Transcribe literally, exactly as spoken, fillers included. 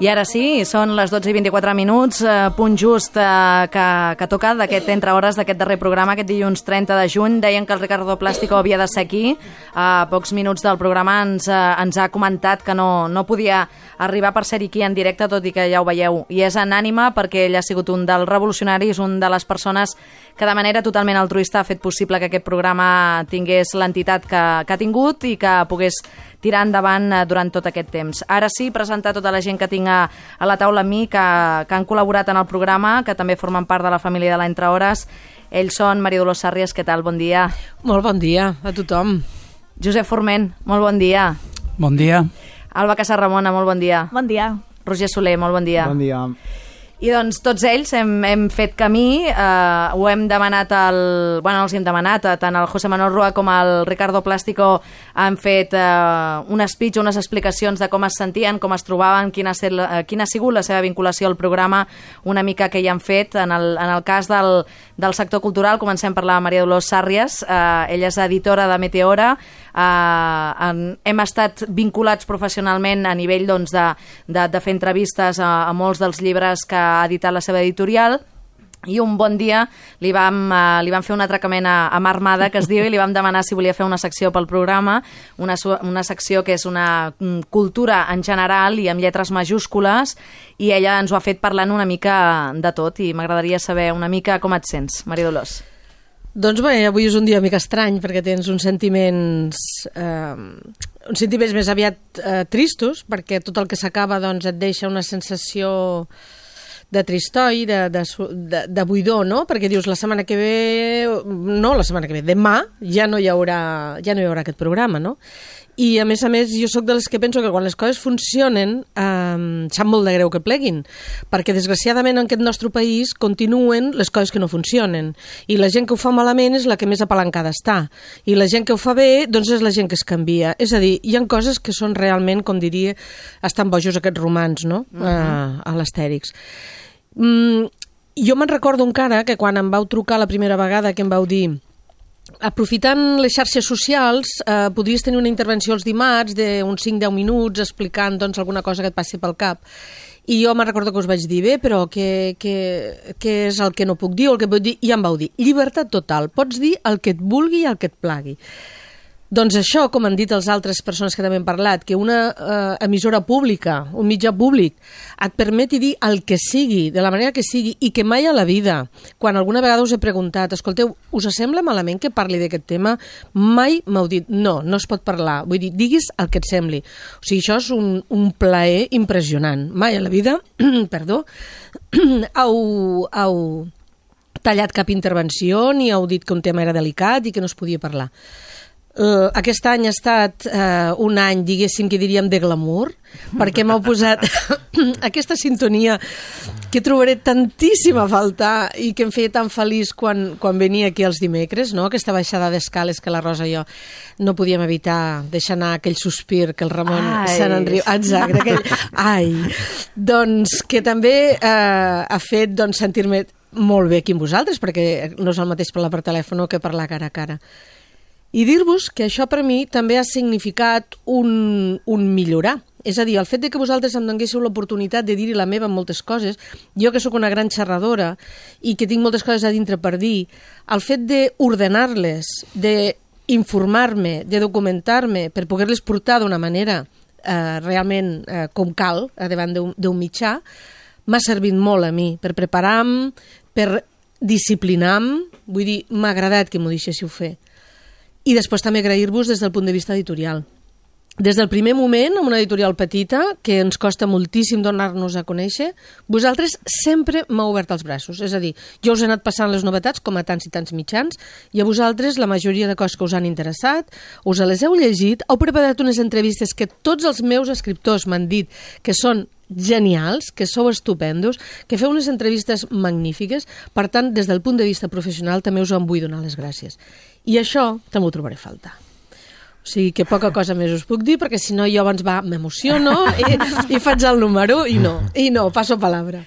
I ara sí, són les dotze i vint-i-quatre minuts, eh, punt just eh, que, que toca d'aquest entre hores d'aquest darrer programa, aquest dilluns trenta de juny. Deien que el Ricardo Plástico havia de ser aquí. A pocs minuts del programa ens, eh, ens ha comentat que no, no podia arribar per ser aquí en directe, tot i que ja ho veieu. I és en ànima perquè ell ha sigut un dels revolucionaris, un de les persones que de manera totalment altruista ha fet possible que aquest programa tingués l'entitat que, que ha tingut i que pogués tirar endavant durant tot aquest temps. Ara sí, presentar tota la gent que tinc a, a la taula amb mi, que, que han col·laborat en el programa, que també formen part de la família de l'Entre Hores. Ells són Maria Dolors Sàrries, què tal? Bon dia. Molt bon dia a tothom. Josep Forment, molt bon dia. Bon dia. Alba Casarramona, molt bon dia. Bon dia. Roger Soler, molt bon dia. Bon dia. I doncs tots ells hem, hem fet camí, eh, ho hem demanat, al, bueno, els hem demanat, tant el José Manuel Rua com el Ricardo Plástico han fet eh, un speech, unes explicacions de com es sentien, com es trobaven, quina ha, set, eh, quina ha sigut la seva vinculació al programa, una mica que hi han fet. En el, en el cas del, del sector cultural, comencem per la Maria Dolors Sàrries, eh, ella és editora de Meteora, eh, en, hem estat vinculats professionalment a nivell doncs, de, de, de fer entrevistes a, a molts dels llibres que ha editat la seva editorial, i un bon dia li vam, uh, li vam fer un atracament a, a mà armada, que es diu, i li vam demanar si volia fer una secció pel programa, una, una secció que és una um, cultura en general i amb lletres majúscules, i ella ens ho ha fet parlant una mica de tot, i m'agradaria saber una mica com et sents, Maria Dolors. Doncs bé, avui és un dia una mica estrany, perquè tens uns sentiments... Eh, uns sentiments més aviat eh, tristos, perquè tot el que s'acaba doncs, et deixa una sensació de tristoi, de, de, de, de buidor, no? Perquè dius, la setmana que ve... No, la setmana que ve, demà ja no hi haurà, ja no hi haurà aquest programa, no? I, a més a més, jo sóc de les que penso que quan les coses funcionen, eh, sap molt de greu que pleguin, perquè, desgraciadament, en aquest nostre país continuen les coses que no funcionen. I la gent que ho fa malament és la que més apalancada està. I la gent que ho fa bé, doncs és la gent que es canvia. És a dir, hi ha coses que són realment, com diria, estan bojos aquests romans, no? Uh-huh. eh, a l'Astèrix. Mm, jo me'n recordo encara que quan em vau trucar la primera vegada que em vau dir, aprofitant les xarxes socials, eh, podries tenir una intervenció els dimarts d'uns cinc a deu minuts explicant doncs, alguna cosa que et passi pel cap. I jo me'n recordo que us vaig dir, bé, però què, què, què és el que no puc dir o el que puc dir? I em vau dir, llibertat total, pots dir el que et vulgui i el que et plagui. Doncs això, com han dit les altres persones que també han parlat, que una eh, emissora pública, un mitjà públic, et permeti dir el que sigui, de la manera que sigui, i que mai a la vida, quan alguna vegada us he preguntat, escolteu, us sembla malament que parli d'aquest tema? Mai m'heu dit, no, no es pot parlar. Vull dir, diguis el que et sembli. O sigui, això és un, un plaer impressionant. Mai a la vida, perdó, heu, heu tallat cap intervenció, ni heu dit que un tema era delicat i que no es podia parlar. Uh, aquest any ha estat uh, un any, diguéssim, que diríem de glamour, perquè m'heu posat aquesta sintonia que trobaré tantíssim a faltar i que em feia tan feliç quan, quan venia aquí els dimecres, no? Aquesta baixada d'escales que la Rosa i jo no podíem evitar deixar anar aquell sospir que el Ramon ai. Se n'enriu. Exacte, aquell... Ai! Doncs que també uh, ha fet doncs, sentir-me molt bé aquí amb vosaltres, perquè no és el mateix parlar per telèfon que parlar cara a cara. I dir-vos que això per mi també ha significat un, un millorar. És a dir, el fet de que vosaltres em donguéssiu l'oportunitat de dir-hi la meva en moltes coses, jo que sóc una gran xerradora i que tinc moltes coses a dintre per dir, el fet d'ordenar-les, d'informar-me, de documentar-me, per poder-les portar d'una manera eh, realment eh, com cal, davant d'un mitjà, m'ha servit molt a mi, per preparar-me, per disciplinar-me, vull dir, m'ha agradat que m'ho deixéssiu fer. I després també agrair-vos des del punt de vista editorial. Des del primer moment, amb una editorial petita, que ens costa moltíssim donar-nos a conèixer, vosaltres sempre m'heu obert els braços. És a dir, jo us he anat passant les novetats, com a tants i tants mitjans, i a vosaltres la majoria de coses que us han interessat, us les heu llegit, heu preparat unes entrevistes que tots els meus escriptors m'han dit que són genials, que sou estupendos, que feu unes entrevistes magnífiques. Per tant, des del punt de vista professional també us en vull donar les gràcies. I això també ho trobaré a faltar. O sigui que poca cosa més us puc dir, perquè si no jo abans va, m'emociono i, i faig el número i no, i no, passo palabra.